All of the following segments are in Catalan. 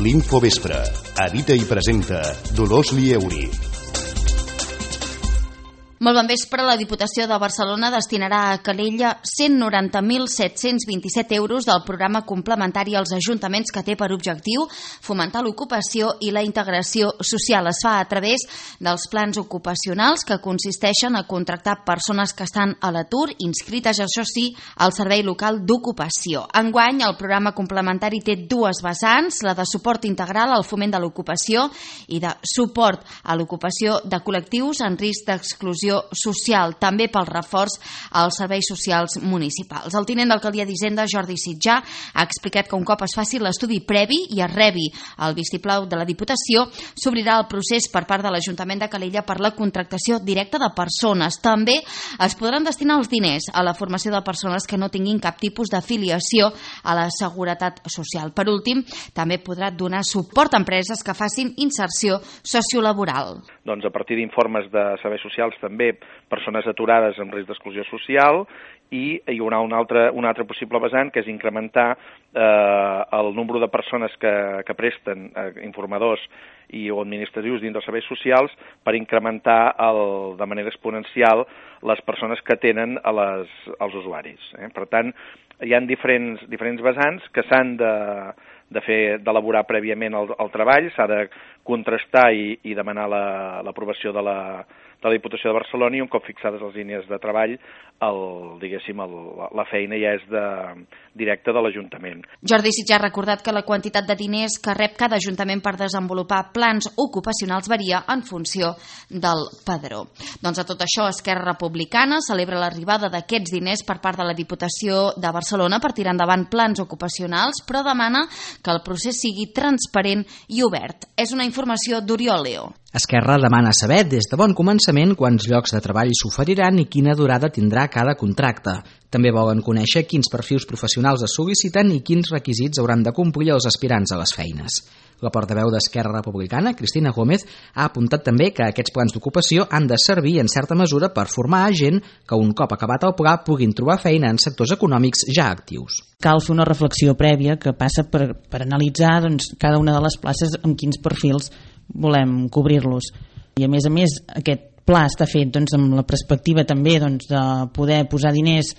L'Infovespre. Edita i presenta Dolors Lieuri. Molt bon vespre. La Diputació de Barcelona destinarà a Calella 190.727 euros del programa complementari als ajuntaments que té per objectiu fomentar l'ocupació i la integració social. Es fa a través dels plans ocupacionals que consisteixen a contractar persones que estan a l'atur, inscrites, això sí, al Servei Local d'Ocupació. Enguany, el programa complementari té dues vessants, la de suport integral al foment de l'ocupació i de suport a l'ocupació de col·lectius en risc d'exclusió social, també pel reforç als serveis socials municipals. El tinent d'alcaldia d'Hisenda, Jordi Sitjà, ha explicat que un cop es faci l'estudi previ i es rebi el vistiplau de la Diputació, s'obrirà el procés per part de l'Ajuntament de Calella per la contractació directa de persones. També es podran destinar els diners a la formació de persones que no tinguin cap tipus d'afiliació a la Seguretat Social. Per últim, també podrà donar suport a empreses que facin inserció sociolaboral. Doncs a partir d'informes de serveis socials també persones aturades en risc d'exclusió social, i hi haurà un altre possible vessant, que és incrementar el nombre de persones que presten informadors o administratius dins dels serveis socials per incrementar de manera exponencial les persones que tenen als usuaris. Per tant, hi ha diferents vessants que s'han d'elaborar prèviament el treball, s'ha de contrastar i demanar l'aprovació de la Diputació de Barcelona, i un cop fixades les línies de treball, la feina ja és directa de l'Ajuntament. Jordi Sitjà ha recordat que la quantitat de diners que rep cada Ajuntament per desenvolupar plans ocupacionals varia en funció del padró. Doncs a tot això, Esquerra Republicana celebra l'arribada d'aquests diners per part de la Diputació de Barcelona per tirar endavant plans ocupacionals, però demana que el procés sigui transparent i obert. És una informació d'Oriol Leo. Esquerra demana saber des de bon començament quants llocs de treball s'oferiran i quina durada tindrà cada contracte. També volen conèixer quins perfils professionals es sol·liciten i quins requisits hauran de complir els aspirants a les feines. La portaveu d'Esquerra Republicana, Cristina Gómez, ha apuntat també que aquests plans d'ocupació han de servir en certa mesura per formar a gent que un cop acabat el pla puguin trobar feina en sectors econòmics ja actius. Cal fer una reflexió prèvia que passa per analitzar cada una de les places amb quins perfils volem cobrir-los. I a més, aquest pla està fet amb la perspectiva també de poder posar diners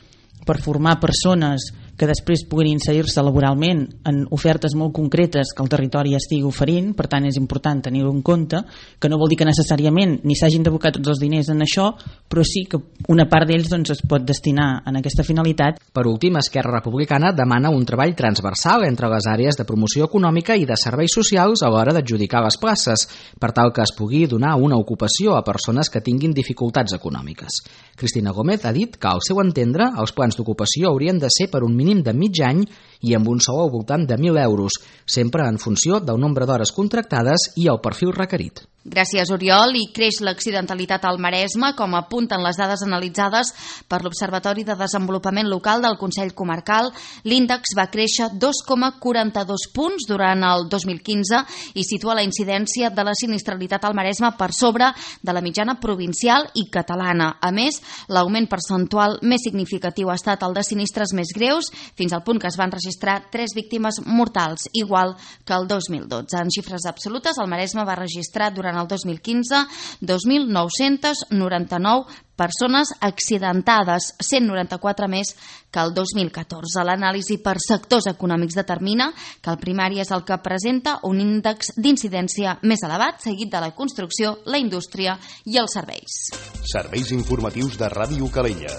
per formar persones que després puguin inserir-se laboralment en ofertes molt concretes que el territori estigui oferint. Per tant, és important tenir-ho en compte, que no vol dir que necessàriament ni s'hagin d'abocar tots els diners en això, però sí que una part d'ells es pot destinar en aquesta finalitat. Per últim, Esquerra Republicana demana un treball transversal entre les àrees de promoció econòmica i de serveis socials a l'hora d'adjudicar les places, per tal que es pugui donar una ocupació a persones que tinguin dificultats econòmiques. Cristina Gómez ha dit que, al seu entendre, els plans d'ocupació haurien de ser per un mínim de mig any i amb un sou al voltant de 1.000 euros, sempre en funció del nombre d'hores contractades i el perfil requerit. Gràcies, Oriol. I creix l'accidentalitat al Maresme, com apunten les dades analitzades per l'Observatori de Desenvolupament Local del Consell Comarcal. L'índex va créixer 2,42 punts durant el 2015 i situa la incidència de la sinistralitat al Maresme per sobre de la mitjana provincial i catalana. A més, l'augment percentual més significatiu ha estat el de sinistres més greus, fins al punt que es van registrar 3 víctimes mortals, igual que el 2012. En xifres absolutes, el Maresme va registrar durant el 2015 2.999 persones accidentades, 194 més que el 2014. L'anàlisi per sectors econòmics determina que el primari és el que presenta un índex d'incidència més elevat, seguit de la construcció, la indústria i els serveis. Serveis informatius de Ràdio Calella.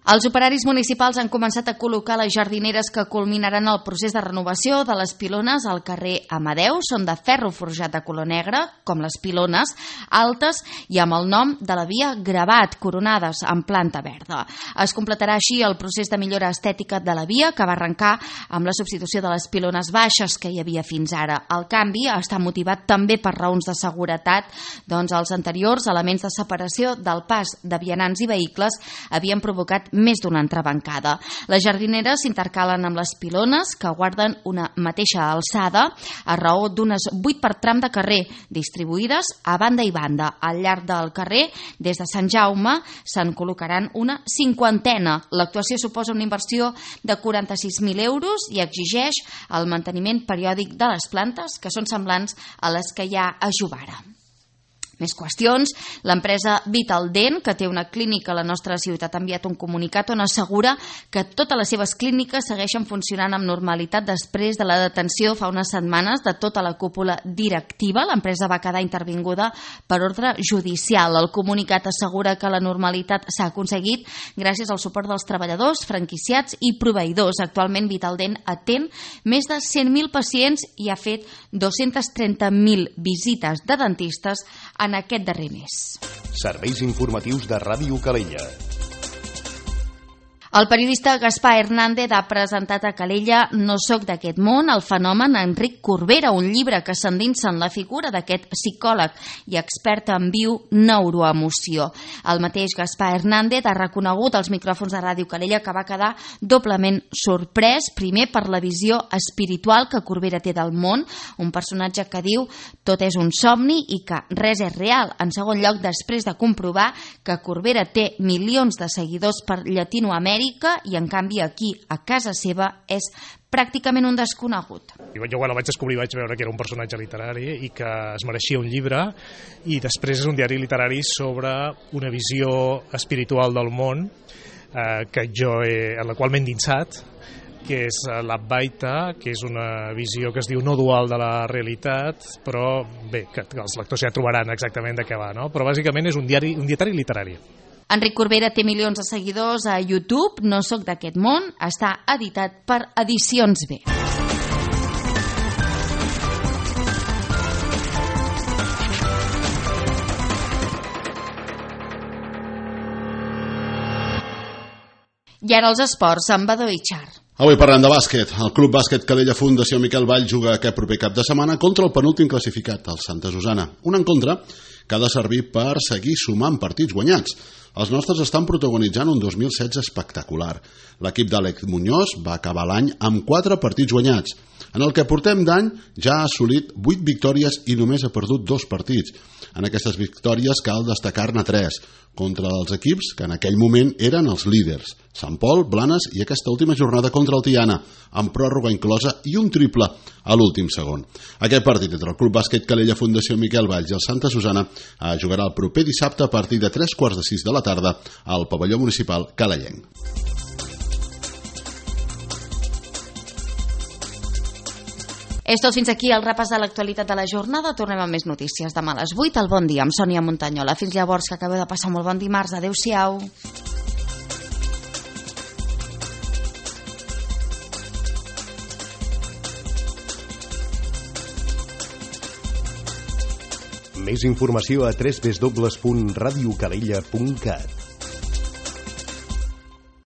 Els operaris municipals han començat a col·locar les jardineres que culminaran el procés de renovació de les pilones al carrer Amadeu. Són de ferro forjat de color negre, com les pilones, altes i amb el nom de la via gravat, coronades en planta verda. Es completarà així el procés de millora estètica de la via, que va arrencar amb la substitució de les pilones baixes que hi havia fins ara. El canvi està motivat també per raons de seguretat, els anteriors elements de separació del pas de vianants i vehicles havien provocat més d'una entrebancada. Les jardineres s'intercalen amb les pilones, que guarden una mateixa alçada a raó d'unes 8 per tram de carrer, distribuïdes a banda i banda. Al llarg del carrer, des de Sant Jaume, se'n col·locaran una 50. L'actuació suposa una inversió de 46.000 euros i exigeix el manteniment periòdic de les plantes, que són semblants a les que hi ha a Jovara. Més qüestions. L'empresa Vitaldent, que té una clínica a la nostra ciutat, ha enviat un comunicat on assegura que totes les seves clíniques segueixen funcionant amb normalitat després de la detenció fa unes setmanes de tota la cúpula directiva. L'empresa va quedar intervinguda per ordre judicial. El comunicat assegura que la normalitat s'ha aconseguit gràcies al suport dels treballadors, franquiciats i proveïdors. Actualment Vitaldent atén més de 100.000 pacients i ha fet 230.000 visites de dentistes en aquest darrer mes. Serveis informatius de Ràdio Calella. El periodista Gaspar Hernández ha presentat a Calella No soc d'aquest món, el fenomen Enric Corbera, un llibre que s'endinsa en la figura d'aquest psicòleg i expert en neuroemoció. El mateix Gaspar Hernández ha reconegut als micròfons de Ràdio Calella que va quedar doblement sorprès, primer per la visió espiritual que Corbera té del món, un personatge que diu tot és un somni i que res és real. En segon lloc, després de comprovar que Corbera té milions de seguidors per Llatinoamèrica i en canvi aquí, a casa seva, és pràcticament un desconegut. Jo quan el vaig descobrir vaig veure que era un personatge literari i que es mereixia un llibre, i després és un diari literari sobre una visió espiritual del món en la qual m'he endinsat, que és l'Advaita, que és una visió que es diu no dual de la realitat, però bé, que els lectors ja trobaran exactament de què va, no? Però bàsicament és un diari literari. Enric Corbera té milions de seguidors a YouTube. No soc d'aquest món està editat per Edicions B. I ara els esports amb Badó i Char. Avui parlem de bàsquet. El Club Bàsquet Calella Fundació Miquel Vall juga aquest proper cap de setmana contra el penúltim classificat, el Santa Susana. Un encontre que ha de servir per seguir sumant partits guanyats. Els nostres estan protagonitzant un 2016 espectacular. L'equip d'Àlex Muñoz va acabar l'any amb 4 partits guanyats. En el que portem d'any ja ha assolit 8 victòries i només ha perdut 2 partits. En aquestes victòries cal destacar-ne 3, contra els equips que en aquell moment eren els líders, Sant Pol, Blanes i aquesta última jornada contra el Tiana, amb pròrroga inclosa i un triple a l'últim segon. Aquest partit entre el Club Bàsquet Calella Fundació Miquel Valls i el Santa Susana jugarà el proper dissabte a partir de 3:45 de la tarda al pavelló municipal calellenc. És tot, fins aquí el repàs de l'actualitat de la jornada. Tornem amb més notícies demà a les 8 al Bon Dia amb Sònia Montanyola. Fins llavors, que acabeu de passar molt bon dimarts. Adéu-siau. Més informació a www.radiocalella.cat.